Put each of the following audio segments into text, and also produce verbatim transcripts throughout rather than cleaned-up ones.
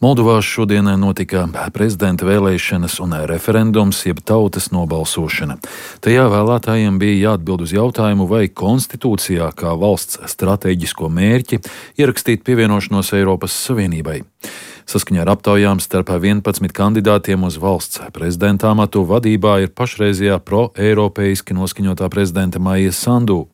Moldovā šodien notika prezidenta vēlēšanas un referendums, jeb tautas nobalsošana. Tajā vēlētājiem bija jāatbild uz jautājumu, vai konstitūcijā kā valsts stratēģisko mērķi ierakstīt pievienošanos Eiropas Savienībai. Saskaņā ar aptaujām starp vienpadsmit kandidātiem uz valsts prezidenta amatu vadībā ir pašreizējā pro-eiropeiski noskaņotā prezidenta Maija Sandu.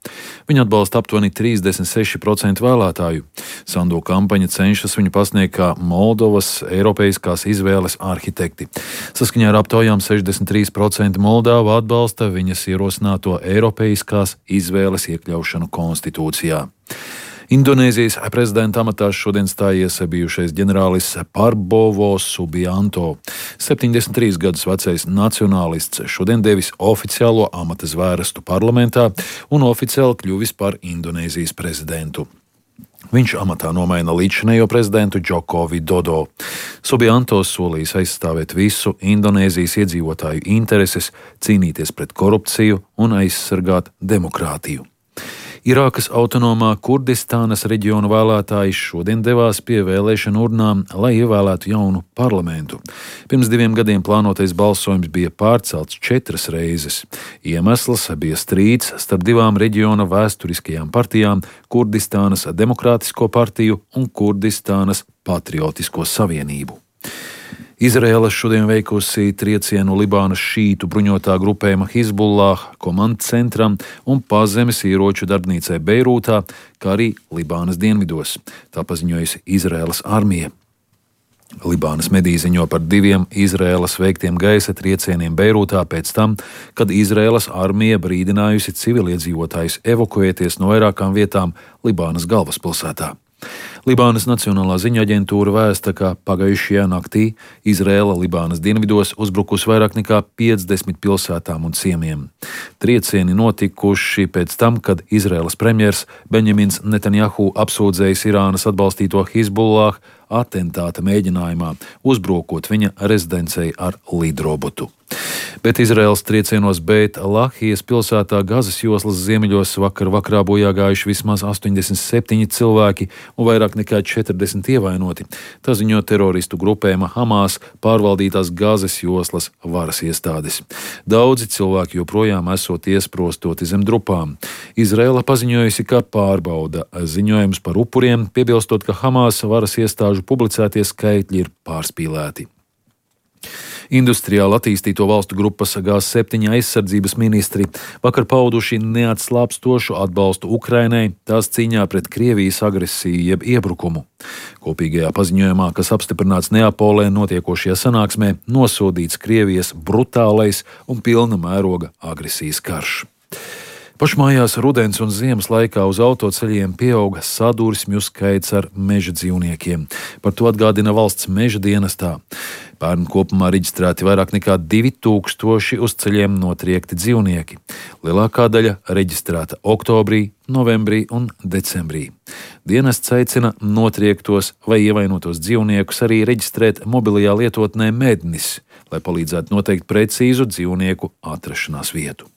Viņa atbalsta aptuveni trīsdesmit seši procenti vēlētāju. Sandu kampaņa cenšas viņu pasniegt kā Moldovas eiropeiskās izvēles arhitekti. Saskaņā ar aptaujām sešdesmit trīs procenti Moldāvu atbalsta viņas ierosināto eiropeiskās izvēles iekļaušanu konstitūcijā. Indonēzijas prezidenta amatā šodien stājies bijušais ģenerālis Prabowo Subianto. septiņdesmit trīs gadus vecais nacionālists šodien devis oficiālo amata zvērestu parlamentā un oficiāli kļuvis par Indonēzijas prezidentu. Viņš amatā nomaina līdzšinējo prezidentu Džoko Vidodo. Subianto solījis aizstāvēt visu Indonēzijas iedzīvotāju intereses, cīnīties pret korupciju un aizsargāt demokrātiju. Irākas autonomā Kurdistānas reģiona vēlētāji šodien devās pie vēlēšanu urnām, lai ievēlētu jaunu parlamentu. Pirms diviem gadiem plānotais balsojums bija pārcelts četras reizes. Iemesls bija strīds starp divām reģiona vēsturiskajām partijām - Kurdistānas Demokrātisko partiju un Kurdistānas Patriotisko savienību. Izraēla šodien veikusi triecienu Libānas šītu bruņotā grupējuma Hizbullah komandcentram un pazemes ieroču darbnīcai Beirūtā, kā arī Libānas dienvidos. Tā paziņojusi Izraēlas armija. Libānas mediji ziņo par diviem Izraēlas veiktiem gaisa triecieniem Beirūtā pēc tam, kad Izraēlas armija brīdinājusi civiliedzīvotājus evakuēties no vairākām vietām Libānas galvaspilsētā. Libānas Nacionālā ziņu aģentūra vēsta, ka pagājušajā naktī Izraēla Libānas dienvidos uzbrukusi vairāk nekā piecdesmit pilsētām un ciemiem. Triecieni notikuši pēc tam, kad Izraēlas premjers Benjamins Netanjahu apsūdzējis Irānas atbalstīto Hizbullah atentāta mēģinājumā, uzbrukot viņa rezidencei ar lidrobotu. Bet Izraēlas triecienos Beit Lahijas pilsētā Gazas joslas ziemeļos vakar vakarā bojā gājuši vismaz astoņdesmit septiņi cilvēki un vairāk nekā četrdesmit ievainoti. Tā ziņo teroristu grupējuma Hamas pārvaldītās Gazas joslas varas iestādes. Daudzi cilvēki joprojām esot iesprostoti zem drupām. Izraēla paziņojusi, ka pārbauda ziņojumus par upuriem, piebilstot, ka Hamas varas iestāžu publicētie skaitļi ir pārspīlēti. Industriāli attīstīto valstu grupas G septiņi aizsardzības ministri vakar pauduši neatslāpstošu atbalstu Ukrainai tās cīņā pret Krievijas agresiju jeb iebrukumu. Kopīgajā paziņojumā, kas apstiprināts Neapolē notiekošajā sanāksmē, nosodīts Krievijas brutālais un pilna mēroga agresijas karš. Pašmājās rudens un ziemas laikā uz autoceļiem pieauga sadursmju skaits ar meža dzīvniekiem. Par to atgādina valsts meža dienestā. Pērn kopumā reģistrēti vairāk nekā divi tūkstoši uz ceļiem notriekti dzīvnieki. Lielākā daļa reģistrēta oktobrī, novembrī un decembrī. Dienests aicina notriektos vai ievainotos dzīvniekus arī reģistrēt mobilajā lietotnē Mednis, lai palīdzētu noteikt precīzu dzīvnieku atrašanās vietu.